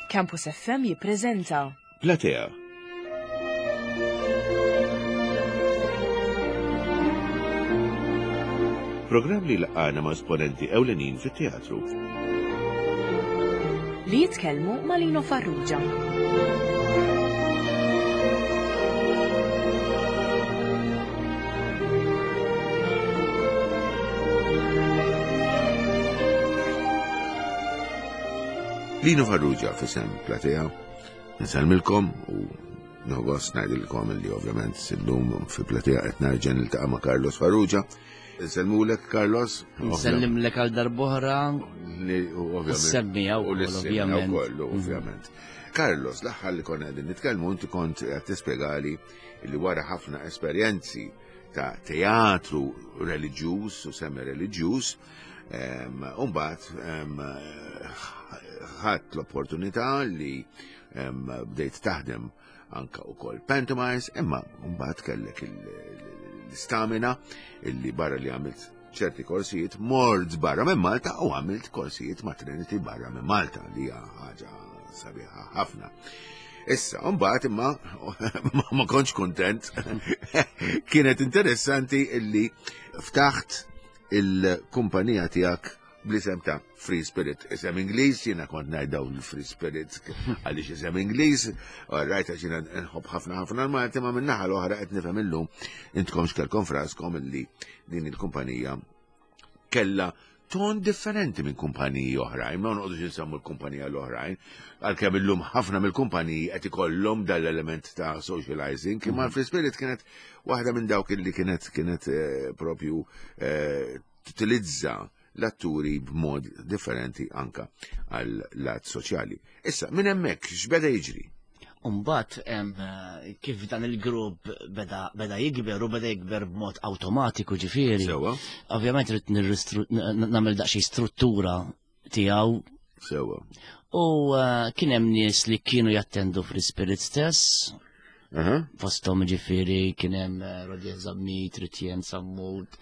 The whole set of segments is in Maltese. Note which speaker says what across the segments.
Speaker 1: Campus FM jippreżenta
Speaker 2: Platea. Programm li laqgħana ma' esponenti ewlenin fit-teatru.
Speaker 1: Li jitkellmu ma' Lino Farrugia.
Speaker 2: Lino Farrugia fisem Platea, nsalmilkom u nħogost ngħidilkom li ovvjament sillum fi Platea qed nerġa' niltaqa' ma' Carlos Farrugia. Nsellmulek Carlos.
Speaker 3: Nsellimlek għal darbohra.
Speaker 2: Semmija u ovvjament. Kollu, ovvjament. Carlos, l-aħħar li konna qegħdin nitkellmu inti kont qed tispjegali li wara ħafna esperjenzi ta' teatru reliġjuż u semi reliġjuż, Umbat, ħadd l-opportunità li bdejt taħdem anka u kol pantomimes, imma mbagħad kellek l-istamina illi barra li għamilt ċerti korsijiet mort barra minn Malta u għamilt korsijiet ma' Trinity barra minn Malta li hija ħaġa sabiħa ħafna. Issa, mbagħad imma ma kontx kontent. Kienet interessanti illi ftaħt il-kumpanija tiegħek bl-isem ta' Free Spirit. Isem Ingliż, jiena kont ngħid dawn il-Free Spirit għaliex isem Ingliż, rajt għax jiena nħobb ħafna ħafna l-Malti ma min-naħa l-oħra qed nifhem illum intkom x'kelkom fraskom illi din il-kumpanija kella ton differenti minn kumpaniji oħrajn, ma noqgħodux insemmu l-kumpanija l-oħrajn, għalkemm illum ħafna mill-kumpaniji qed ikollhom dal-element ta' socializing, imma l-Free Spirit kienet waħda minn dawk illi kienet kienet eh, propju eh, tutilizza l-atturi b'mod differenti anka għal lat soċjali. Issa, minn hemmhekk x'beda jiġri?
Speaker 3: Umbat, eh, kif dan il-grupp beda, beda jikber u beda jikber b'mod awtomatiku ġifieri.
Speaker 2: Sewa.
Speaker 3: Ovvjament rrid nagħmel daqsxejn struttura tiegħu.
Speaker 2: Sewa.
Speaker 3: U eh, kien hemm nies li kienu jattendu fl-ispirit stess. Fosthom ġifieri kien hemm eh, Rodier Zammit, Ritjen Sammut,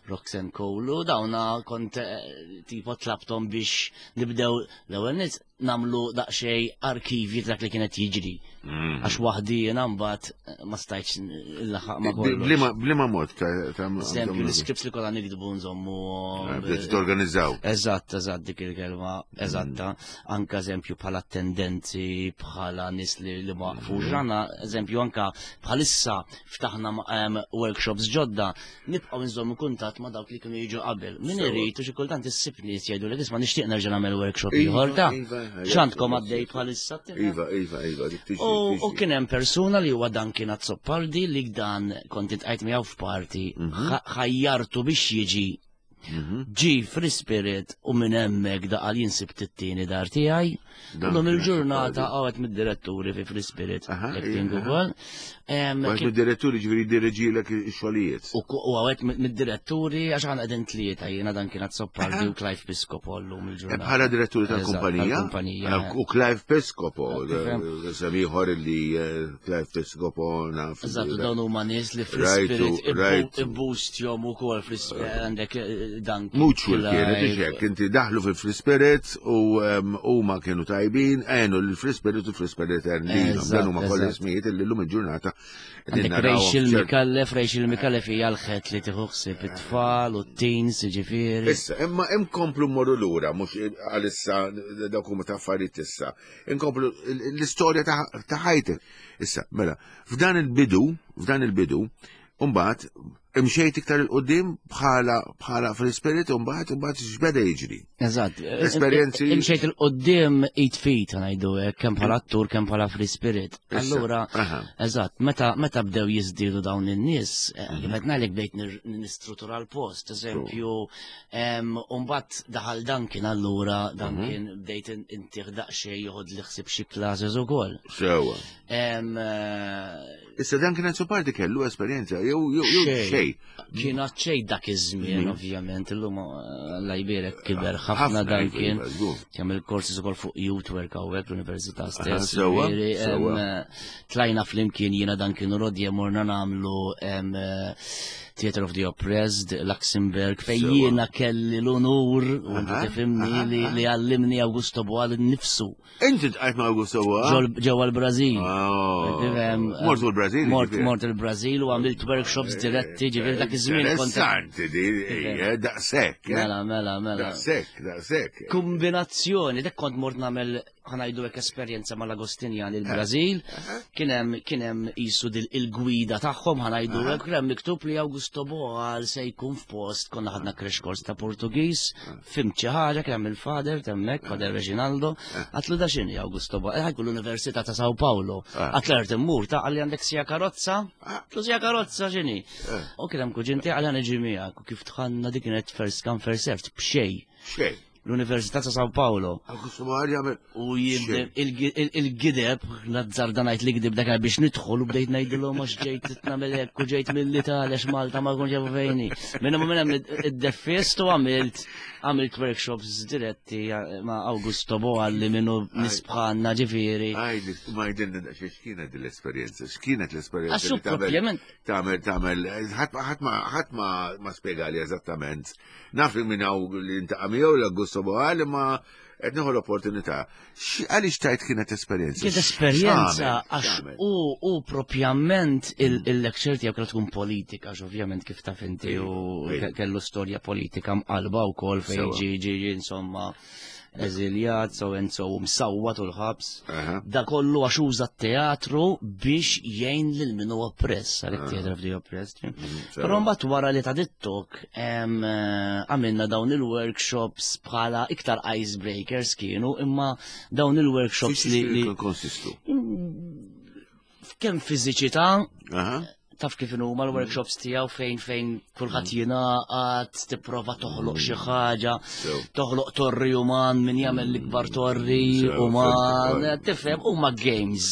Speaker 3: Roxanne Cole, dawna kont eh, tipo tlabtom biex nibdew l-ewwel nies namlu daqsxejn arkivji dak li kienet jiġri. Mm. Għax waħdi jiena mbagħad eh, ma stajtx il-laħaq ma
Speaker 2: kollox. Bliema mod ta'
Speaker 3: Eżempju, l-iskrips li kollha nikdbu nżommu.
Speaker 2: Eh, bdejt torganizzaw.
Speaker 3: Eżatt, eżatt dik il-kelma, eżatta. Mm. Anka eżempju bħala tendenzi, bħala nies li li waqfu. Mm. Ġranna, eżempju, anka bħalissa ftaħna workshops ġodda nibqgħu nżommu kuntatt ma' dawk li kienu jiġu qabel. Min irid u xi kultant issib nies jgħidu li isma' nixtieq nerġa' nagħmel workshop iva, ieħor ta' iva, iva, x'għandkom għaddej bħalissa.
Speaker 2: Iva, iva, iva,
Speaker 3: U kien hemm persuna li huwa dan kien Azzopardi li dan kont intqajt miegħu f'parti mhm. ħajjartu biex jiġi Mhm. Ġi free spirit u minn hemmhekk daqal jinsib it-tieni dar tiegħi. Illum il-ġurnata għawet mid-diretturi fi Free Spirit acting ukoll.
Speaker 2: Għawet mid-diretturi ġifieri jdirreġilek ix-xogħlijiet.
Speaker 3: U għawet mid-diretturi għax għan qegħdin tlieta jiena dan kien Azzopardi u Clive Piscopo llum il-ġurnata.
Speaker 2: Bħala diretturi tal-kumpanija? U Clive Piscopo, sem ieħor li eh, Clive Piscopo
Speaker 3: naf. Eżatt, dawn huma nies li Free Spirit ibboostjom ukoll Free Spirit għandek eh, dan.
Speaker 2: Mutual kienet ixek, inti daħlu fil-Free Spirit u huma kienu tajbin, għenu l-Free Spirit u Free Spirit għen lilhom. Dan huma kollha ismijiet li llum il-ġurnata.
Speaker 3: Għandek Rachel Mikallef, Rachel Mikallef hija l-ħet li tieħu ħsieb it-tfal u t-teens, ġifieri.
Speaker 2: Issa, imma inkomplu mmorru lura, mhux għalissa dawk huma ta' affarijiet issa. Inkomplu l-istorja ta' ħajtek. Issa, mela, f'dan il-bidu, f'dan il-bidu, Umbagħad imxejt iktar il-qudiem bħala bħala free spirit u mbagħad imbagħad x'beda jiġri.
Speaker 3: Eżatt. Esperjenzi. Imxejt il-qudiem eight feet ngħidu hekk kemm bħala attur kemm bħala free spirit. Allura, eżatt, meta meta bdew jiżdiedu dawn in-nies, eh, mhm. kif qed ngħidlek bdejt nistruttura l-post, eżempju, u mbagħad daħal Duncan allura mhm. Duncan bdejt intih daqsxejn joħod li ħsieb xi classes ukoll.
Speaker 2: Sewa.
Speaker 3: Eh,
Speaker 2: Issa dan kien Azzopardi kellu esperjenza jew jew xejn.
Speaker 3: Kien xejn dak iż-żmien mm. ovvjament illum eh, alla jbierek kiber ħafna dan iva, kien. Iva, Kemm il-korsi ukoll fuq youth work hawnhekk l-università stess. Eh, tlajna flimkien jiena dan kienu rodje morna nagħmlu eh, Theater of the Oppressed, Luxembourg, fejn jiena kelli l-onur, u inti tifhimni li għallimni Augusto Boal nifsu.
Speaker 2: Inti tqajt ma' Augusto Boal?
Speaker 3: Ġewwa l-Brażil.
Speaker 2: Oh. Mort il-Brażil?
Speaker 3: Mort il-Brażil u għamilt workshops eh, diretti, ġifieri dak iż-żmien
Speaker 2: kont. Interessanti di, eh, daqshekk.
Speaker 3: Eh. Mela, mela, mela.
Speaker 2: Daqshekk, daqshekk.
Speaker 3: Kombinazzjoni, dak kont mort nagħmel ħanajdu hekk esperjenza mal-Agostinjan il-Brażil, kien hemm kien hemm qisu il-gwida tagħhom ħanajdu hekk kien hemm miktub li Augusto Boal se jkun f'post konna ħadna crash course ta' Portugiż, fimt xi ħaġa kien hemm il-fader hemmhekk, Fader Reginaldo, għatlu da x'inhi Augusto Boal, ħajkun l-Università ta' Sao Paulo. Għatlu ert immur ta' għalli għandek sija karozza, għatlu sija karozza x'inhi. U kien hemm kuġinti għalli ħaniġi miegħek u kif tħanna dik kienet first come first served b'xejn.
Speaker 2: Xejn.
Speaker 3: l-Università ta' Sao Paulo. U il-gideb, nazzarda ngħid li gideb dak biex nidħol u bdejt ngħidilhom għax ġejt nagħmel hekk u ġejt mill-Italja għax Malta ma jkunx jafu fejni. Minn hemm minn hemm id-deffist u għamilt għamilt workshops diretti ma' Augusto Boalli minnu nisbħanna ġifieri.
Speaker 2: Għajdi, ma jidilna daqsxejn x'kienet l-esperjenza, x'kienet l-esperjenza li tagħmel tagħmel tagħmel ħadd ma spjegali eżattament Naf li minn hawn li ntaqa' miegħu l-Augusto Boal imma qed nieħu l-opportunità. Għaliex tajt kienet esperjenza?
Speaker 3: Kienet esperjenza għax u u propjament il-lecture tiegħu kellha tkun politika, għax ovvjament kif taf inti u kellu storja politika mqalba wkoll fejn ġi ġi insomma eżiljat, so and so, msawwat u l-ħabs. Da kollu għax uża t-teatru biex jgħin lil min hu oppress, għalhekk theater of the oppressed. Mm, Però mbagħad wara li ta' dittok eh, għamilna dawn il-workshops bħala iktar icebreakers kienu, imma dawn il-workshops
Speaker 2: li. Konsistu.
Speaker 3: Kemm fiżiċità, taf kif huma l-workshops tiegħu fejn fejn kulħadd mm. jingħaqad, tipprova toħloq xi mm. ħaġa, toħloq torri uman min jagħmel l-ikbar mm. torri uman, tifhem huma games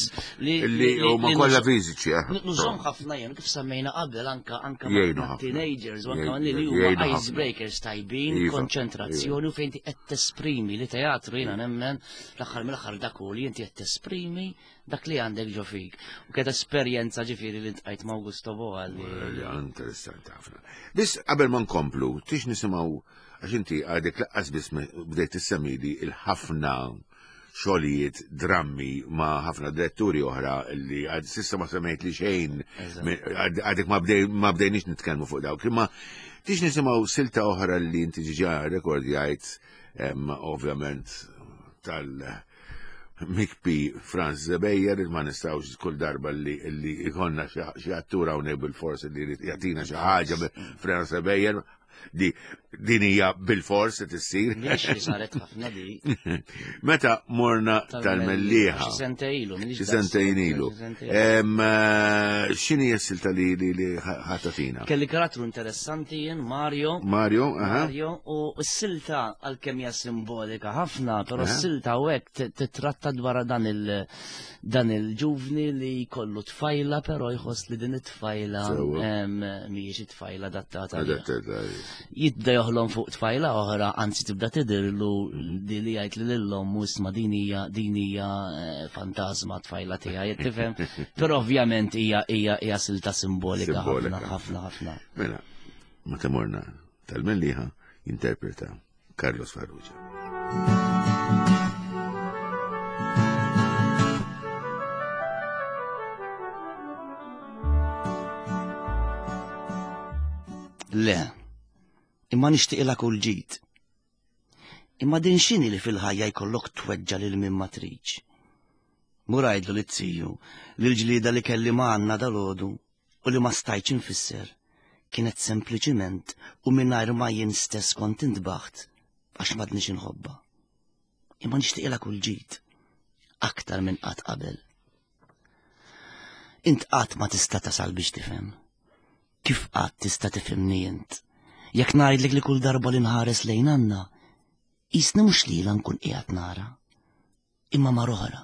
Speaker 2: li huma kollha fiżiċi. Eh?
Speaker 3: Nużhom ħafna jien kif semmejna qabel anka anka teenagers u anka li huma icebreakers tajbin, iva, konċentrazzjoni iva. u fejn qed tesprimi li teatru jiena nemmen l-aħħar mill-aħħar dak li inti qed tesprimi dak li għandek ġo fik. U kienet esperjenza ġifieri li ntqajt ma' Augusto Boa li.
Speaker 2: Interessanti ħafna. Biss qabel ma nkomplu, tix nisimgħu għax inti għadek laqqas biss bdejt tissemmili il-ħafna xogħlijiet drammi ma' ħafna diretturi oħra li għad sissa ma semmejt li xejn għadek ma bdejniex nitkellmu fuq dawk. Imma tix nisimgħu silta oħra li inti ġiġa rekordjajt ovvjament tal- Mikpi Franz Zebejjer ma nistgħux kull darba li li ikonna xi attura hawnhekk bil-fors li jrid jagħtina xi ħaġa Franz Zebejjer di din hija bil-fors se tissir.
Speaker 3: Mhix saret ħafna di.
Speaker 2: Meta morna tal-Mellieħa.
Speaker 3: Xi sentejn ilu.
Speaker 2: Xi sentejn ilu. Eh, x'inhi s-silta li li ħatatina?
Speaker 3: Kelli karattru interessanti jien, Mario.
Speaker 2: Mario, aha.
Speaker 3: Mario, u s-silta għalkemm hija simbolika ħafna, però s-silta u hekk titratta dwar dan il dan il-ġuvni li jkollu tfajla, però jħoss li din it-tfajla mhijiex it-tfajla adattata. Jibda joħlom fuq tfajla oħra, anzi tibda tidhirlu di li jgħid li lil-omm u isma' din hija din hija eh, fantasma tfajla tiegħi, tifhem? Però ovvjament hija hija hija silta simbolika ħafna ħafna ħafna.
Speaker 2: Mela, meta morna tal-Mellieħa jinterpreta Carlos Farrugia.
Speaker 3: Le, imma nixtieqilha kull ġid. Imma din x'inhi li fil-ħajja jkollok tweġġa' lil min ma tridx? Mur għidlu lit-tiju li l-ġlieda li kelli ma' Anna dalgħodu u li ma stajtx infisser kienet sempliċiment u mingħajr ma jien stess kont intbaħt għax m'għadnix inħobbha. Imma nixtieqilha kull ġid, aktar minn qatt qabel. Int qatt ma tista' tasal biex tifhem. Kif qatt tista' tifhimni int? Jekk ngħidlek li kull darba li nħares lejn Anna, qisni mhux lilha nkun qiegħed nara, imma mar oħra.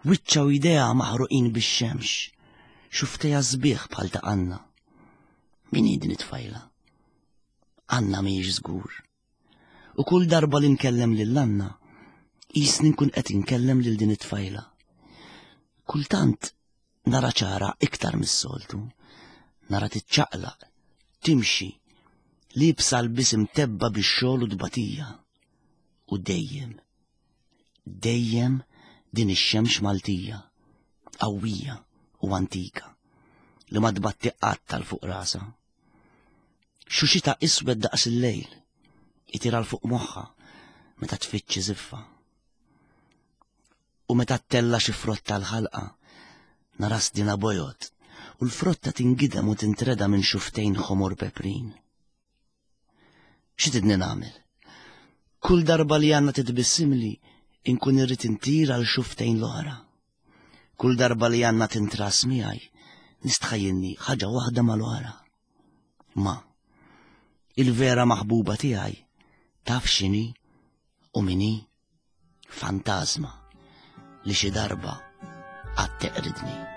Speaker 3: Wiċċha u jdejha maħruqin bix-xemx, xuftejha sbieħ bħal ta' Anna. Min hi din it-tfajla? Anna mhijiex żgur. U kull darba li nkellem lil Anna, qisni nkun qed inkellem lil din it-tfajla. Kultant nara ċara iktar mis-soltu, nara tiċċaqlaq. Timxi, liebsa lbies imtebba' bix-xogħol u t-tbatija. U dejjem, dejjem din ix-xemx Maltija, qawwija u antika, li ma tbatti qatt għal fuq rasha. Xuxita iswed daqs il-lejl, itir għal fuq moħħha meta tfittxi żiffa. U meta ttella' xi frotta l-ħalqa, nara sdina bojod u l-frotta tingidem u tintreda minn xuftejn ħomor peprin. Xi tidni nagħmel? Kull darba li għandna titbissimli, inkun irrid intir għal xuftejn l-oħra. Kull darba li għandna tintras miegħi, nistħajjilni ħaġa waħda mal-oħra. Ma, il-vera maħbuba tiegħi taf x'inhi u min hi? Fantażma li xi darba għad teqridni.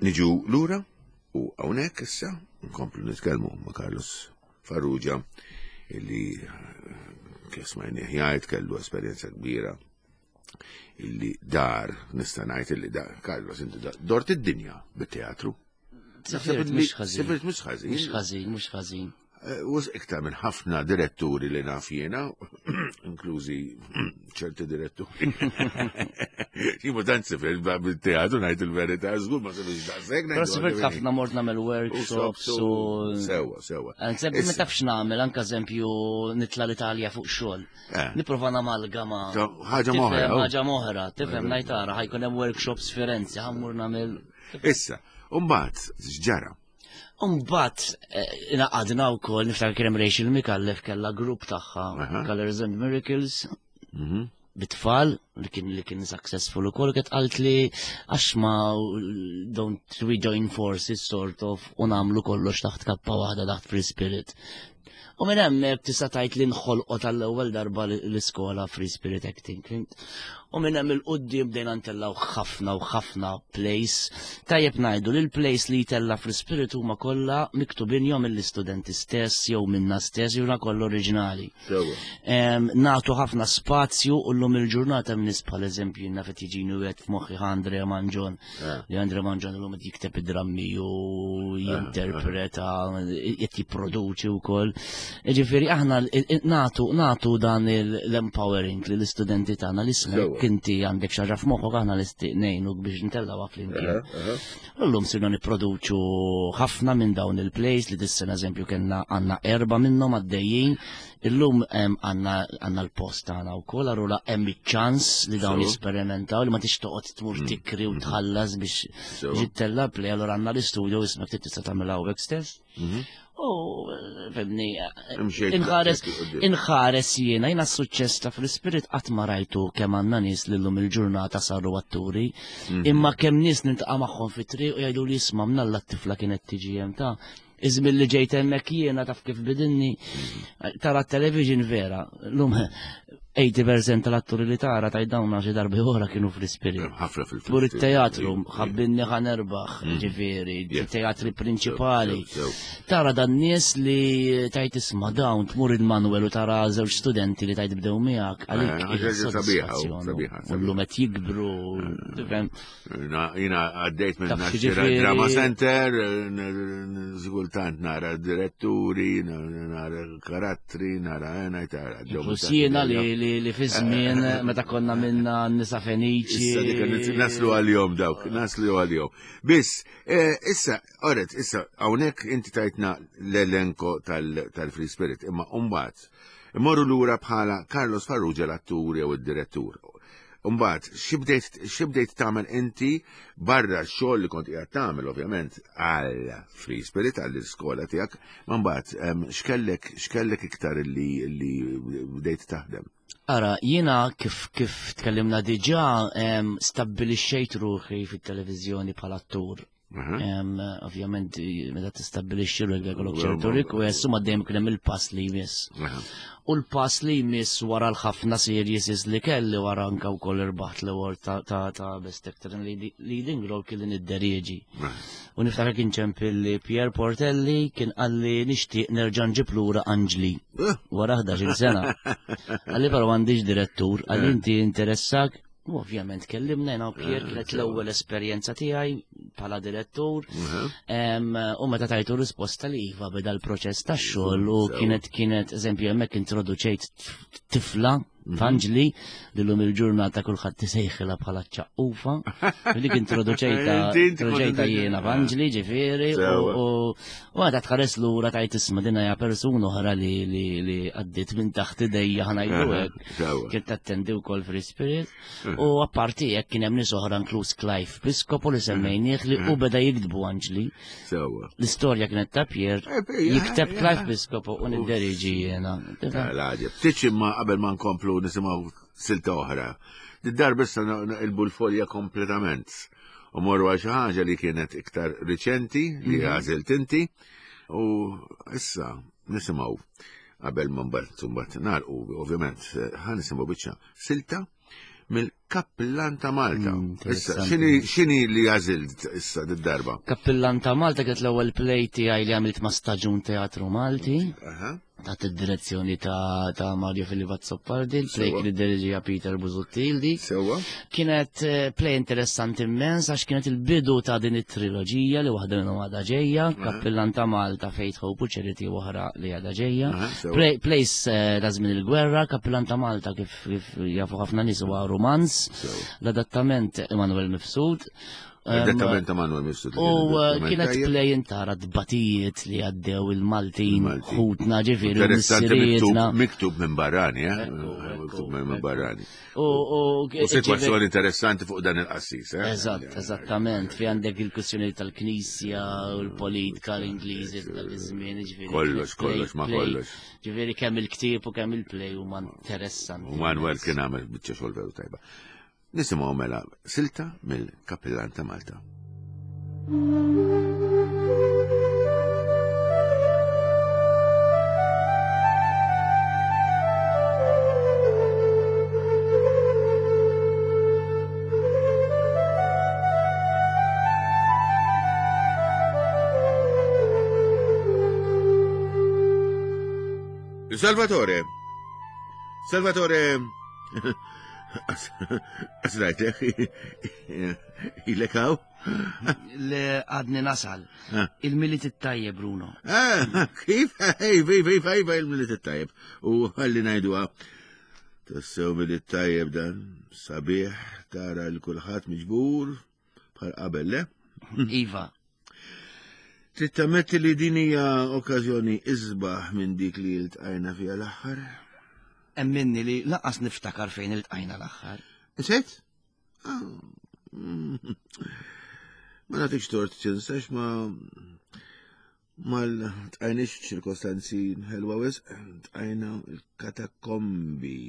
Speaker 2: Niġu lura u hawnhekk issa nkomplu nitkellmu ma' Carlos Farrugia illi kif smajnieh jgħid kellu esperjenza kbira illi dar nista' ngħid illi dar Carlos inti dort id-dinja bit-teatru.
Speaker 3: Sifirt mhux ħażin.
Speaker 2: Sifirt mhux ħażin.
Speaker 3: Mhux ħażin, mhux ħażin.
Speaker 2: Eh, Wis iktar minn ħafna diretturi li naf jiena, inklużi ċerti diretturi. Jimu tant sifir bil-teatru ngħid il-verità, żgur ma sifirx daqshekk.
Speaker 3: Però sifirt ħafna mort nagħmel workshops u.
Speaker 2: Sewa, sewa.
Speaker 3: Eżempju, ma tafx nagħmel anke eżempju nitla l-Italja fuq xogħol. Eh. Nipprova namalgama.
Speaker 2: Ħaġa moħra.
Speaker 3: Ħaġa moħra, tifhem ngħid ara ħajkun hemm workshops Firenze, ħammur nagħmel.
Speaker 2: Issa, u mbagħad x'ġara?
Speaker 3: Umbat, eh, inaqadna u koll, niftakar kien hemm Rachel Mikallef kella grupp tagħha, Colors and Miracles, mhm. bit-tfal, li kien li kien successful ukoll, kienet qalt li għax ma don't we join forces sort of u nagħmlu kollox taħt kappa waħda taħt Free Spirit. U minn hemmhekk tista' tgħid li nħolqot għall-ewwel darba l-iskola Free Spirit Acting. Fhimt? U minn hemm il-quddiem bdejna ntellgħu ħafna u ħafna plays. Tajjeb ngħidu li l-plays li jtella' Free Spirit huma kollha miktubin jew mill-istudenti stess jew minna stess jew kollha oriġinali. Nagħtu ħafna spazju u llum il-ġurnata hemm nies bħal eżempju jiena qed jiġini wieħed f'moħħi Andrea Manġon Eh. Li Andre Manġan l-lum jikteb id-drammi u eh, jinterpreta, eh. qed jipproduċi wkoll. Ġifieri aħna natu natu dan l-empowering li l-istudenti tagħna li smek inti għandek xi ħaġa f'moħħok aħna l ngħinuk biex ntellgħu flimkien. Illum sirna nipproduċu ħafna minn dawn il-plays li dis-sena eżempju kellna għandna erba' minnhom għaddejjin Illum għandna l-post tagħna wkoll, allura hemm iċ-ċans li dawn jesperimentaw li ma tix toqgħod tmur mm. tikri u mm. tħallas biex ġittella play, allura għandna l-istudio ismek tista' tagħmel hawnhekk stess. Mhm. U fimni, inħares, inħares jiena, jiena s-suċċess ta' fl-ispirit qatt ma rajtu kemm għandna nies li llum il-ġurnata saru atturi, mhm. imma kemm nies niltaqa' magħhom fit-triq u jgħidu li jisma' mnalla t-tifla kienet tiġi hemm ta' Iż-żmien li ġejt hemmhekk jiena taf kif bidilni. Tara t-television vera. Lum 80% tal-atturi li tara tajt dawn xi darbi oħra kienu fl-ispirit.
Speaker 2: Ħafna fil
Speaker 3: Pur it-teatru, ħabbinni ħa nerbaħ, mm. ġifieri, teatri prinċipali. Tara dan nies li tajt isma' dawn tmur il-Manuel u tara żewġ studenti li tajt bdew miegħek għalik.
Speaker 2: Eh,
Speaker 3: U llum qed jikbru, tifhem.
Speaker 2: Jina għaddejt minn Naxxira Drama Center, zgultant nara diretturi, nara karattri, nara għena, tara.
Speaker 3: Jiena li fi żmien meta konna minna nisa feniċi.
Speaker 2: Issa dik naslu għal-jom dawk, naslu għal-jom. Biss, eh, issa, oret, issa, hawnhekk inti tajtna l-elenko tal-Free Spirit, imma umbat, imorru lura bħala Carlos Farrugia l-attur jew id-direttur. Mbagħad xi bdejt tagħmel inti barra x-xogħol li kont qiegħed tagħmel ovvjament għal Free Spirit għall iskola tiegħek, ma mbagħad x'kellek x'kellek iktar li li bdejt taħdem?
Speaker 3: Ara, jiena kif kif tkellimna diġà stabbilixxejt ruħi fit-televiżjoni bħala attur. Ovvjament, meta tistabbilixxi ruħek jkollok ċertu request u ma dejjem kien hemm il-pass li jmiss. U l-pass li jmiss wara l-ħafna series li kelli wara anka wkoll irbaħt l-award ta' Best Actor in Leading Role kien li nidderieġi. U niftakar kien ċempilli Pierre Portelli kien qalli nixtieq nerġa' nġib lura Anġli eh. wara 11-il sena. Qalli però m'għandix direttur, qalli eh. inti interessak U ovvjament kellimna jena u Pier eh, kienet l-ewwel esperjenza tiegħi bħala direttur. U meta tajtu risposta li iva beda l-proċess tax-xogħol u kienet kienet eżempju hemmhekk introduċejt tifla mhm. Fanġli li l-lum il-ġurnata kulħadd tisejħilha bħala ċaqqufa. Dik introduċejta introduċejta jiena Fanġli ġifieri u U għadha tħares lura tajt isma' din hija persuna oħra li li li għaddiet minn taħt idejja ħanajdu hekk. Kien tattendi wkoll Free Spirit. U apparti hekk kien hemm nies oħra inkluż Clive Piscopo li semmejnieh li u beda jiktbu Anġli. L-istorja kienet ta' Pier eh, jikteb Clive Piscopo u nidderiġi jiena.
Speaker 2: L-għaġeb. Tiċ imma qabel ma nkomplu nisimgħu silta oħra. Did-darba issa naqilbu l-folja kompletament. U morru għal xi ħaġa li kienet iktar riċenti li mhm. għażilt inti u issa nisimgħu qabel ma mbagħad mbagħad nagħlqu ovvjament ħa nisimgħu biċċa silta mill-Kappillan ta' Malta. Mm, issa, xini li għażilt issa d-darba?
Speaker 3: Kappillan ta' Malta kienet l-ewwel play tiegħi li għamilt ma' Staġun Teatru Malti. Taħt id-direzzjoni ta', ta Mario Filippo Azzopardi, il-play kien id-diriġija Peter Busuttildi.
Speaker 2: Sewa.
Speaker 3: Kienet eh, play interessanti immens għax kienet il-bidu ta' din it-triloġija li waħda minnhom għadha ġejja, Kappillan ta' Malta, Faith Hope u Charity oħra li għadha ġejja. Play, place eh, ta' żmien il-gwerra, Kappillan ta' Malta kif, kif jafu ħafna nies huwa romanz, l-adattament Emanuel Mifsud.
Speaker 2: Esattament ta' Manuel Mifsud.
Speaker 3: U eh, kienet play intara tbatijiet li għaddew il-Maltin, ħutna ġifieri.
Speaker 2: Interessanti miktub minn barrani, eh? Miktub minn barrani. U situazzjoni interessanti fuq dan il-qassis, eh?
Speaker 3: Eżatt, eżattament, fi għandek il-kwestjoni tal-Knisja u l-politika l-Ingliżi dak iż-żmien,
Speaker 2: ġifieri. Kollox, kollox, ma kollox.
Speaker 3: Ġifieri kemm il-ktieb u kemm il-play huma interessanti.
Speaker 2: U Manuel kien għamel biċċa xogħol veru tajba. Nisimgħu mela silta mill-Kappillan ta' Malta. Salvatore! Salvatore! Asrajtek, ilek hawn?
Speaker 3: Le għadni nasal. Ah. Il-milit it-tajjeb, Bruno.
Speaker 2: Ah, kif? Iva, iva, iva, iva, il-milit it-tajjeb. U għalli najdu Tassew milit tajjeb dan, sabiħ, tara l-kulħadd miġbur, bħal qabel, le?
Speaker 3: Iva.
Speaker 2: Trid tammetti li din hija okkażjoni isbaħ minn dik li ltqajna fiha l-aħħar?
Speaker 3: Emminni li lanqas niftakar fejn iltqajna l-aħħar.
Speaker 2: Insejt? Ah, mm. Ma nagħtikx tort tinsax ma ma tqajniex ċirkostanzi ħelwa wisq, tqajna l-katakombi.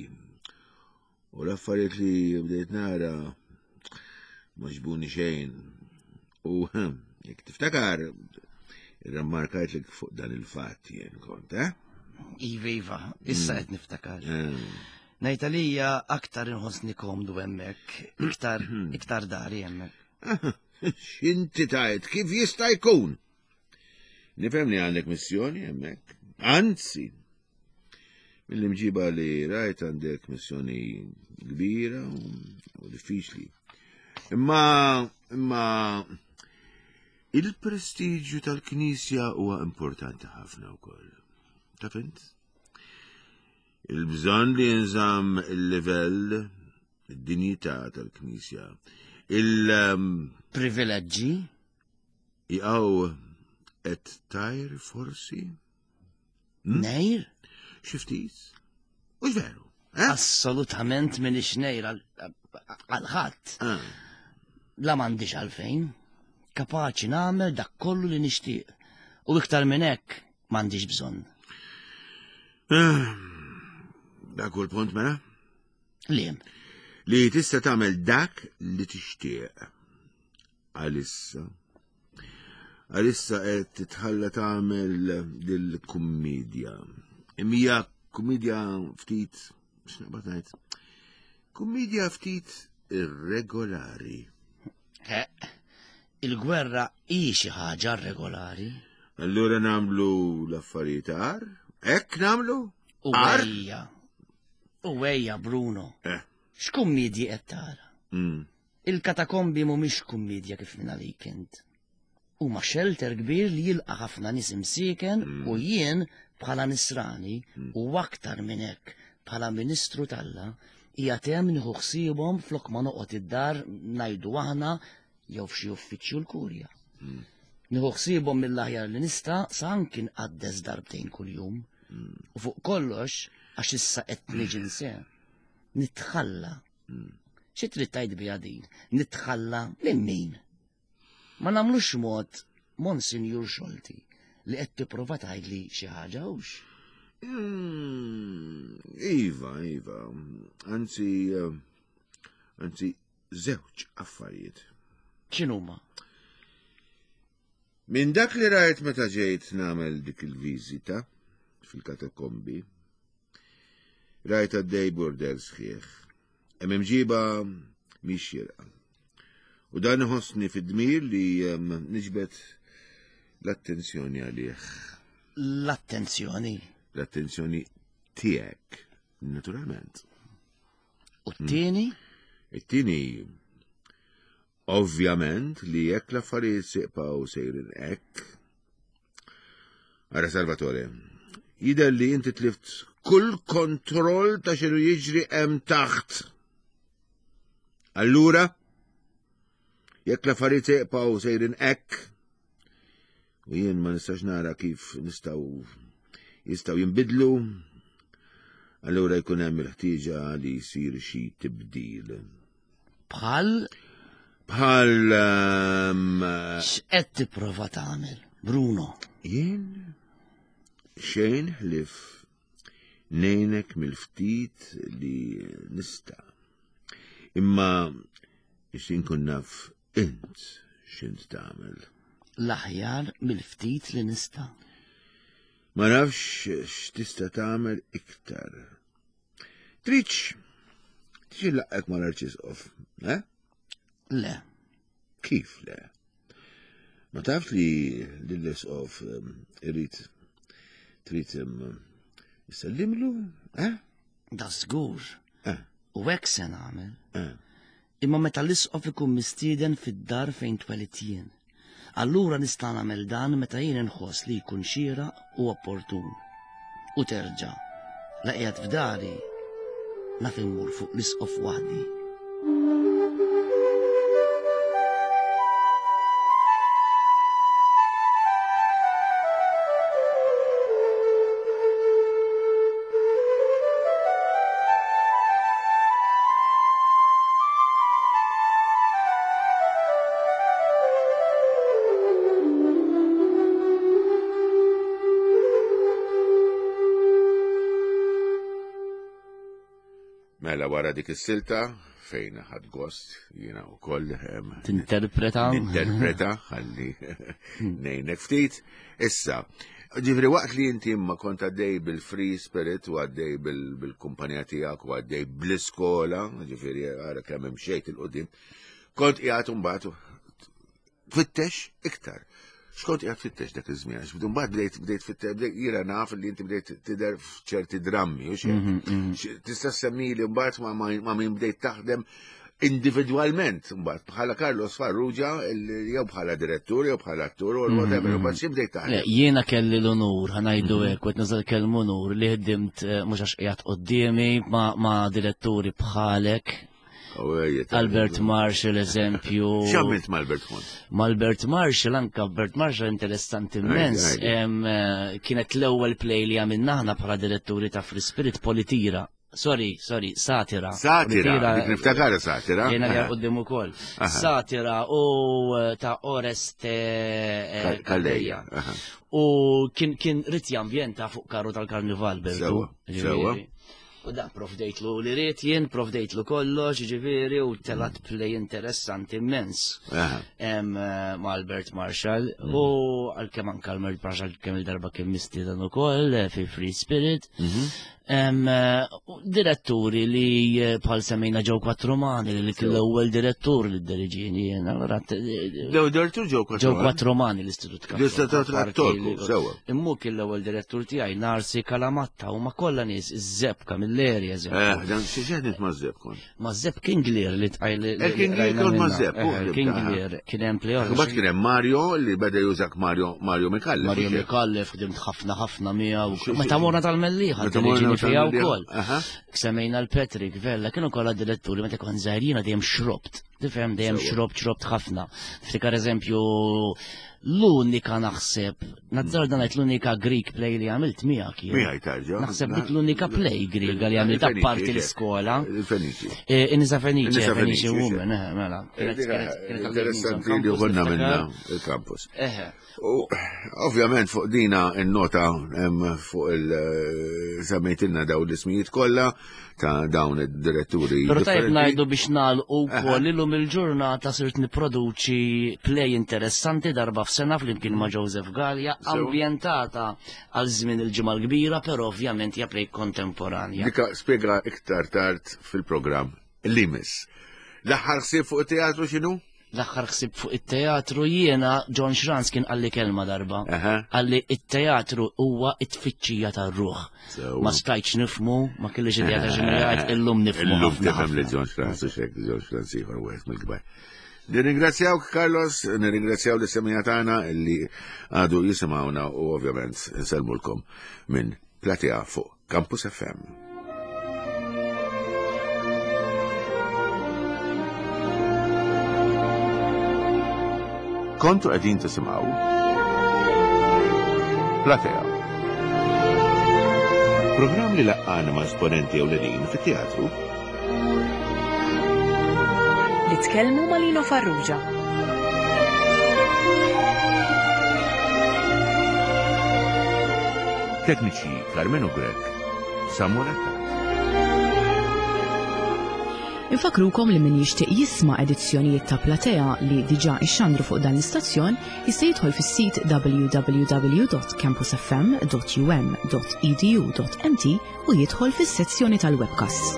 Speaker 2: U l-affarijiet li bdejt nara ma ġbuni xejn. U jekk tiftakar, irrammarkajt li fuq dan il-fatt jien kont, eh?
Speaker 3: Iva, iva, issa mm. qed niftakar. Mm. Ngħid għalija aktar inħossni komdu hemmhekk, iktar mm. iktar dari hemmhekk.
Speaker 2: X'inti tajt, kif jista' jkun? Nifhem li għandek missjoni hemmhekk. Anzi, mill-imġiba li rajt għandek missjoni kbira u diffiċli. Imma, imma il-prestiġju tal-Knisja huwa importanti ħafna wkoll. Taf int? Il-bżonn li jinżamm il-livell, id-dinjità tal-Knisja, il- um,
Speaker 3: Privileġġi?
Speaker 2: Jaqaw qed tajr forsi?
Speaker 3: Hmm? Nejr?
Speaker 2: Xi ftit? Mhux veru. Eh?
Speaker 3: Assolutament minix ngħir għal ħadd.
Speaker 2: Ah.
Speaker 3: La m'għandix għalfejn. Kapaċi nagħmel dak kollu li nixtieq. U iktar minn hekk m'għandix bżonn.
Speaker 2: Ah, dak hu l-punt mela?
Speaker 3: Liem.
Speaker 2: Li tista' tagħmel dak li tixtieq. Għalissa. Għalissa qed titħalla tagħmel dil-kummedja. Imma kummedja ftit, x'naqbad ngħid? Kummedja ftit irregolari.
Speaker 3: Il-gwerra hi xi ħaġa irregolari.
Speaker 2: Allura nagħmlu l-affarijiet agħar? Hekk nagħmlu?
Speaker 3: U ejja. U ejja, Bruno.
Speaker 2: Eh.
Speaker 3: X'kummedji qed tara? Il-katakombi mhumiex kummiedja kif mingħalik int. Huma xelter kbir li jilqa' ħafna nies imsieken u jien bħala nisrani u aktar minn hekk bħala ministru t'Alla qiegħed hemm nieħu ħsiebhom flok ma noqgħod id-dar ngħidu aħna jew f'xi uffiċċju l-kurja. Nieħu ħsiebhom mill-aħjar li nista' sa anki nqaddes darbtejn kuljum. U fuq kollox għax issa qed niġi nse, nitħalla Xi trid tgħid biha din? Nitħalla minn min? Ma nagħmlux mod Monsinjur Xolti li qed tipprova tgħidli xi ħaġa hux.
Speaker 2: Mm, iva, iva. Anzi, eh, anzi, żewġ affarijiet.
Speaker 3: X'inhuma?
Speaker 2: Minn dak li rajt meta ġejt nagħmel dik il-viżita fil-katakombi, Rajt għaddej burdell sħiħ. Hemm imġiba mhix xierqa. U dan iħossni fid-dmir li niġbed l-attenzjoni għalih.
Speaker 3: L-attenzjoni?
Speaker 2: L-attenzjoni tiegħek, naturalment.
Speaker 3: U t-tieni?
Speaker 2: It-tieni Ovvjament li jekk l-affarijiet siqpaw sejrin hekk. Ara Salvatore, jidher li inti tlift kull kontroll ta' xinu jiġri hemm taħt. Allura, jekk l-affarijiet siqpaw sejrin hekk, u jien ma nistax nara kif nistgħu jistgħu jinbidlu, allura jkun hemm il-ħtieġa li jsir xi tibdil.
Speaker 3: Bħal?
Speaker 2: Bħal. Ehm,
Speaker 3: X'qed tipprova tagħmel, Bruno?
Speaker 2: Jien xejn ħlif nejnek mill-ftit li nista. Imma ixtin kun naf int x'int tagħmel.
Speaker 3: L-aħjar mill-ftit li nista.
Speaker 2: Ma nafx x'tista' tagħmel iktar. Tridx tridx inlaqqgħek mal-Arċisqof, eh?
Speaker 3: Le.
Speaker 2: Kif le? Ma tafx li lill-Isqof ehm, irid trid ehm, issellimlu, eh?
Speaker 3: Da żgur.
Speaker 2: Eh.
Speaker 3: U hekk se nagħmel.
Speaker 2: Eh.
Speaker 3: Imma meta l-isqof ikun mistieden fid-dar fejn twelidt jien. Allura nista' nagħmel dan meta jien inħoss li jkun xieraq u opportun. U terġa', la qiegħed f'dari, naf immur fuq l-isqof waħdi.
Speaker 2: Mela wara dik is-silta fejn ħadd gost jiena wkoll
Speaker 3: tinterpreta
Speaker 2: ninterpreta ħalli ngħinek ftit. Issa, Ġifieri waqt li inti imma kont għaddej bil-free spirit u għaddej bil-kumpanija tiegħek u għaddej bl-iskola, ġifieri ara kemm imxejt il-qudiem, kont qiegħed imbagħad tfittex iktar. X'kont qiegħed tfittex dak iż-żmien? Għax mbagħad bdejt bdejt tfittex bdejt jiena naf li inti bdejt tidher f'ċerti drammi u xejn. Mhm, mhm. Tista' semmili mbagħad ma' min bdejt taħdem individwalment mbagħad bħala Carlos Farrugia jew bħala direttur jew bħala attur u whatever, mm-hmm. mbagħad xi bdejt taħdem.
Speaker 3: Jiena kelli l-onur, ħanajdu mm-hmm. hekk, qed nażel kelmu onur li ħdimt eh, mhux għax qiegħed quddiemi ma' diretturi bħalek. Albert Marshall, eżempju.
Speaker 2: X'għamilt ma' Albert Marshall?
Speaker 3: Ma' Albert Marshall, anka Albert Marshall interessanti immens. Eh, kienet l-ewwel play li għamilna aħna bħala diretturi ta' Free Spirit Politira. Sorry, sorry, satira.
Speaker 2: Satira, dik niftakara satira.
Speaker 3: Jena li għoddim u koll. Satira u eh, ta' Oreste eh,
Speaker 2: Calleja.
Speaker 3: U kien kien rit jambjenta fuq karru tal-karnival, Bertu.
Speaker 2: Sewa.
Speaker 3: U da provdejtlu li rrit jien, provdejtlu kollox, ġifieri, u telat play interessanti immens. Eh, ma' Albert Marshall. Mm. U għal-kem anka Albert Marshall kemm il-darba kien mistieden ukoll fi Free Spirit. Mhm. Eh, diretturi li eh, bħal semmejna ġew Quattromani li kien l-ewwel direttur li diriġini jien. Allura
Speaker 2: L-ewwel direttur ġew
Speaker 3: Quattromani. Ġew Quattromani l-Istitut
Speaker 2: Kattoliku. L-Istitut Kattoliku, sewwa.
Speaker 3: Immu kien l-ewwel direttur tiegħi Narsi Kalamatta u ma kollha nies iż-żeb Camilleri
Speaker 2: eżempju. Eh, dan xi ġenit ma' żeb kont.
Speaker 3: Ma' żeb King Lear li tqajl.
Speaker 2: Eh, King Lear kont ma' żeb.
Speaker 3: Eh, King Lear kien hemm play.
Speaker 2: Mbagħad kien hemm Mario li beda jużak Mario Mario Mikallef.
Speaker 3: Mario Mikallef ħdimt ħafna ħafna miegħu. Meta morna tal-Mellieħa, diriġini fiha wkoll. Semmejna l-Patrick Vella, kienu kollha diretturi meta kont żgħir jiena dejjem xrobt. Tifhem dejjem xrobt xrobt ħafna. Ftikar eżempju l-unika naħseb, nazzar dan l-unika Greek play li għamilt miegħek
Speaker 2: jien. Miegħi tarġa.
Speaker 3: Naħseb dik l-unika play Greek li għamilt apparti l-iskola.
Speaker 2: Il-Feniċi.
Speaker 3: Eh, Inisa Feniċi, Feniċi Woman, eh, mela.
Speaker 2: Eh, interessanti li konna minna il-campus. U ovvjament fuq dina n-nota fuq il-semmejtilna daw l-ismijiet kollha ta' dawn id-diretturi.
Speaker 3: Però tajjeb ngħidu biex nagħlqu wkoll illum il-ġurnata sirt nipproduċi play interessanti darba f'sena flimkien ma' Joseph Gallia ambjentata għal żmien il-ġimgħa l-kbira, però ovvjament hija play kontemporanja.
Speaker 2: Dika spjega iktar tard fil-programm li miss. L-aħħar ħsieb fuq it-teatru x'inhu?
Speaker 3: L-aħħar ħsieb fuq it-teatru jiena John Schranz kien qalli kelma darba. Qalli it-teatru huwa it-tfittxija tar-ruħ. Ma stajtx nifmu, ma kellix idea ta' x'inhu jgħid, illum nifmu.
Speaker 2: Illum tifhem li John Schranz u xek John Schranz ieħor wieħed mill-kbar. Nirringrazzjawk Carlos, nirringrazzjaw li semija tagħna li għadu jisimgħuna u ovvjament nsellmulkom minn Platea fuq Campus FM. Kontu qegħdin tisimgħu Platea. Programm li laqqana ma' esponenti ewlenin fit-teatru.
Speaker 1: Li tkellmu ma' Lino Farrugia.
Speaker 2: Tekniċi Carmenu Grech, Samuel Attard.
Speaker 1: Infakrukom li min jixtieq jisma' edizzjonijiet ta' Platea li diġà ixxandru fuq dan l-istazzjon jista' jidħol fis-sit www.campusfm.um.edu.mt u jidħol fis-sezzjoni tal-webcasts.